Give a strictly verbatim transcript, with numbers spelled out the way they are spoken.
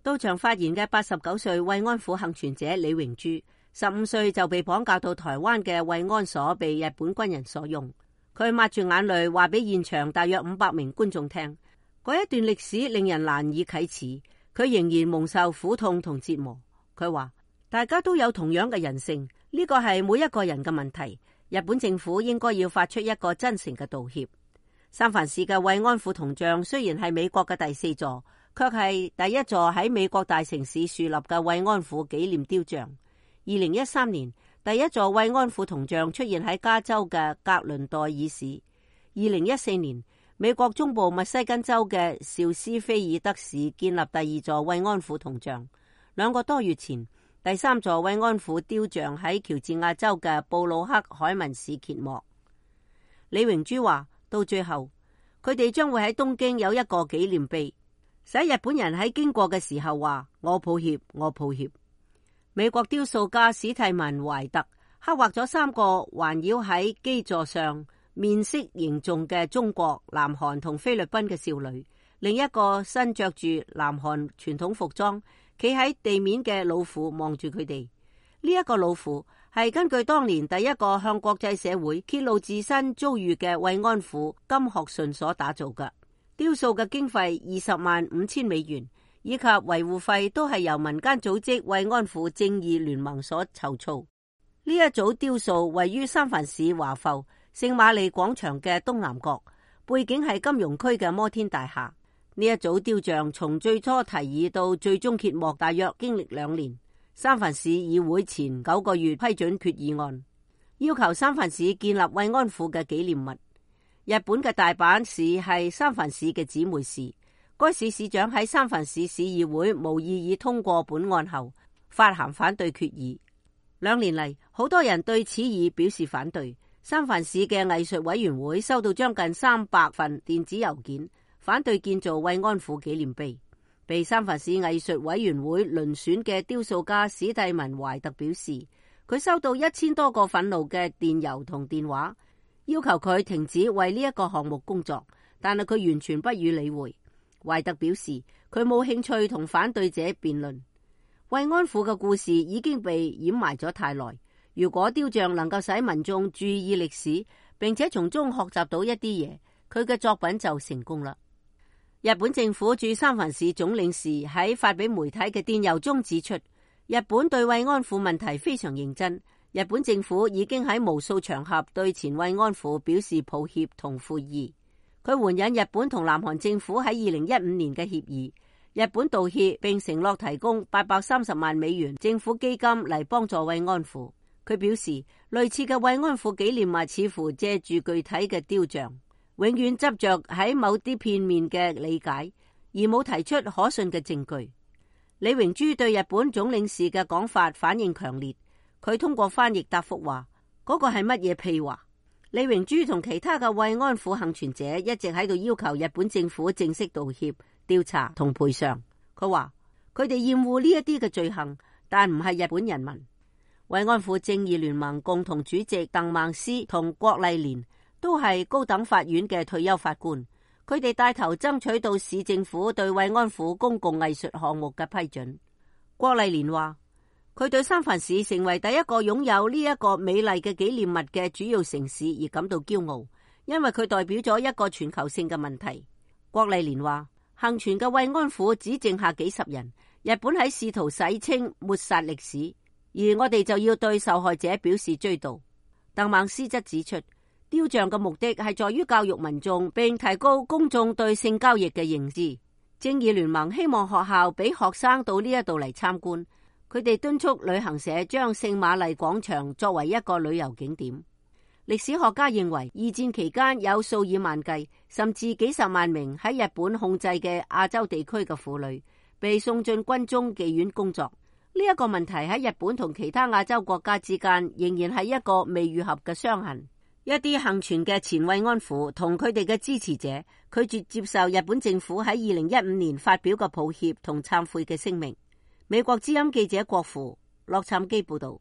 到場發言嘅八十九歲慰安婦幸存者李榮珠，十五歲就被綁架到台灣嘅慰安所，被日本軍人所用。佢抹住眼淚話俾現場大約五百名觀眾聽，嗰一段歷史令人難以啟齒。佢仍然蒙受苦痛同折磨。佢話大家都有同樣嘅人性，呢個係每一個人嘅問題。日本政府應該要發出一個真誠嘅道歉。三藩市嘅慰安婦銅像雖然係美國嘅第四座，卻係第一座喺美國大城市樹立嘅慰安婦紀念雕像。二零一三年，第一座慰安婦銅像出現喺加州嘅格倫代爾市。二零一四年，美國中部密西根州嘅紹斯菲爾德市建立第二座慰安婦銅像。兩個多月前，第三座慰安婦雕像喺喬治亞州嘅布魯克海文市揭幕。李榮珠話，到最後，佢哋將會喺東京有一個紀念碑，使日本人喺經過嘅時候話：我抱歉，我抱歉。美國雕塑家史蒂文懷特刻畫咗三個環繞喺基座上面色凝重嘅中國、南韓同菲律賓嘅少女，另一個身着住南韓傳統服裝，企喺地面嘅老婦望住佢哋。呢、這、一個老婦係根據當年第一個向國際社會揭露自身遭遇嘅慰安婦金學順所打造嘅。雕塑嘅經費二十萬五千美元，以及維護費都係由民間組織慰安婦正義聯盟所籌措。呢一組雕塑位於三藩市華埠聖瑪利廣場嘅東南角，背景係金融區嘅摩天大廈。呢一組雕像從最初提議到最終揭幕，大約經歷兩年。三藩市議會前九個月批准決議案，要求三藩市建立慰安婦嘅紀念物。日本嘅大阪市係三藩市嘅姊妹市，該市市長喺三藩市市議會無異議通過本案後，發函反對決議。兩年嚟，好多人對此議表示反對。三藩市嘅藝術委員會收到將近三百份電子郵件，反對建造慰安婦紀念碑。被三藩市藝術委員會遴選嘅雕塑家史蒂文懷特表示，佢收到一千多個憤怒嘅電郵同電話，要求佢停止為呢一個項目工作，但係佢完全不予理會。懷特表示，佢冇興趣同反對者辯論。慰安婦嘅故事已經被掩埋咗太耐，如果雕像能夠使民眾注意歷史，並且從中學習到一啲嘢，佢嘅作品就成功啦。日本政府駐三藩市總領事喺發俾媒體嘅電郵中指出，日本對慰安婦問題非常認真。日本政府已經喺無數場合對前慰安婦表示抱歉同悔意。佢援引日本同南韓政府喺二零一五年嘅協議，日本道歉並承諾提供八百三十萬美元政府基金嚟幫助慰安婦。佢表示，類似嘅慰安婦紀念物似乎借住具體嘅雕像，永遠執着喺某啲片面嘅理解，而冇提出可信嘅證據。李榮珠對日本總領事嘅講法反應強烈，佢通過翻譯答覆話：嗰個係乜嘢屁話？李榮珠同其他嘅慰安婦幸存者一直喺度要求日本政府正式道歉、調查同賠償。佢話佢哋厭惡呢一啲嘅罪行，但唔係日本人民。慰安婦正義聯盟共同主席鄧孟思同郭麗蓮都係高等法院嘅退休法官，佢哋帶頭爭取到市政府對慰安婦公共藝術項目嘅批准。郭麗蓮話，佢對三藩市成為第一個擁有呢一個美麗嘅紀念物嘅主要城市而感到驕傲，因為佢代表咗一個全球性嘅問題。郭麗蓮話，幸存嘅慰安婦只剩下幾十人，日本喺試圖洗清抹殺歷史，而我哋就要對受害者表示追悼。鄧孟思則指出，雕像嘅目的係在於教育民眾並提高公眾對性交易嘅認知。正義聯盟希望學校俾學生到呢一度嚟參觀，佢哋敦促旅行社將聖瑪麗廣場作為一個旅遊景點。歷史學家認為，二戰期間有數以萬計甚至幾十萬名喺日本控制嘅亞洲地區嘅婦女被送進軍中妓院工作。呢一個問題喺日本同其他亞洲國家之間仍然係一個未愈合嘅傷痕。一啲幸存嘅前慰安婦同佢哋嘅支持者拒絕接受日本政府喺二零一五年發表嘅抱歉同懺悔嘅聲明。美國之音記者郭芙洛杉磯報道。